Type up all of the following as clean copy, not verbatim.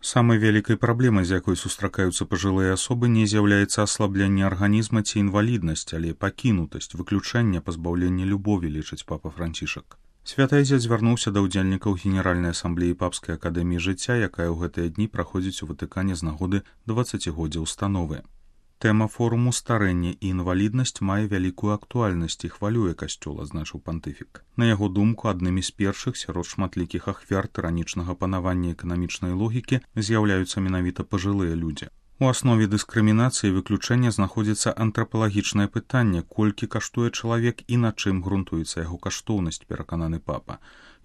Самай вялікай праблемай, з якой сустракаюцца пажылыя асобы, не з'яўляецца аслабленне арганізма ці інваліднасць, але пакінутасць, выключэнне, пазбаўленне любові, лічыць папа Францішак. Святы Айцец звярнуўся да ўдзельнікаў Генеральнай асамблеі папскай акадэміі жыцця, якая ў гэтыя дні праходзіць у Ватыкане з нагоды 20годдзя установы. Тэма форуму «Старэнне і інваліднасць» мае вялікую актуальнасць і хвалюе касцёл, азначыў пантыфік. На яго думку, аднымі з першых сярод шматлікіх ахвяр тыранічнага панавання эканамічнай логікі з'яўляюцца менавіта пажылыя людзі. У аснове дыскрымінацыі і выключэння знаходзіцца антрапалагічнае пытанне, колькі каштуе чалавек і на чым грунтуецца яго каштоўнасць, перакананы папа.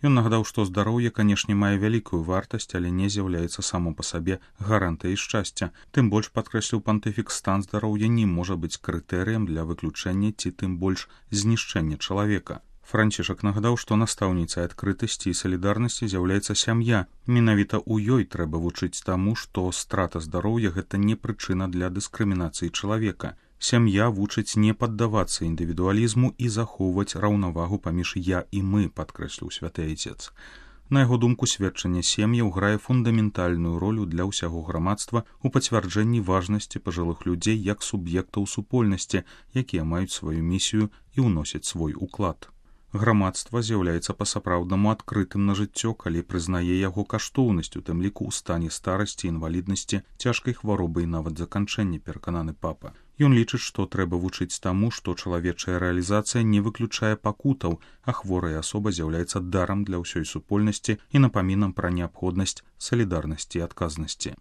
Ён нагадаў, што здароўе, канешне, мае вялікую вартасць, але не з'яўляецца само па сабе гарантыяй шчасця. Тым больш, падкрэсліў пантыфік, стан здароўя не можа быць крытэрыем для выключэння ці тым больш знішчэння чалавека. Францішак нагадаў, што настаўніцай адкрытасці і салідарнасці з'яўляецца сям'я. Менавіта ў ёй трэба вучыць таму, што страта здароўя – гэта не прычына для дыскрымінацыі чалавека. Сям'я вучыць не паддавацца індывідуалізму і захоўваць раўнавагу паміж «я» і «мы», падкрэсліў святы Айцец. На яго думку, сведчанне сем'яў грае фундаментальную ролю для ўсяго грамадства ў пацвярджэнні важнасці пажылых людзей як суб'ектаў супольнасці, якія маюць сваю місію і ўносяць свой уклад. Грамадства з'яўляецца па-сапраўднаму адкрытым на жыццё, калі прызнае яго каштоўнасць, у тым ліку ў стане старасці, інваліднасці, цяжкай хваробы і нават заканчэння, перакананы папа. Ён лічыць, што трэба вучыць таму, што чалавечая рэалізацыя не выключае пакутаў, а хворая асоба з'яўляецца дарам для ўсёй супольнасці і напамінам пра неабходнасць салідарнасці і адказнасці.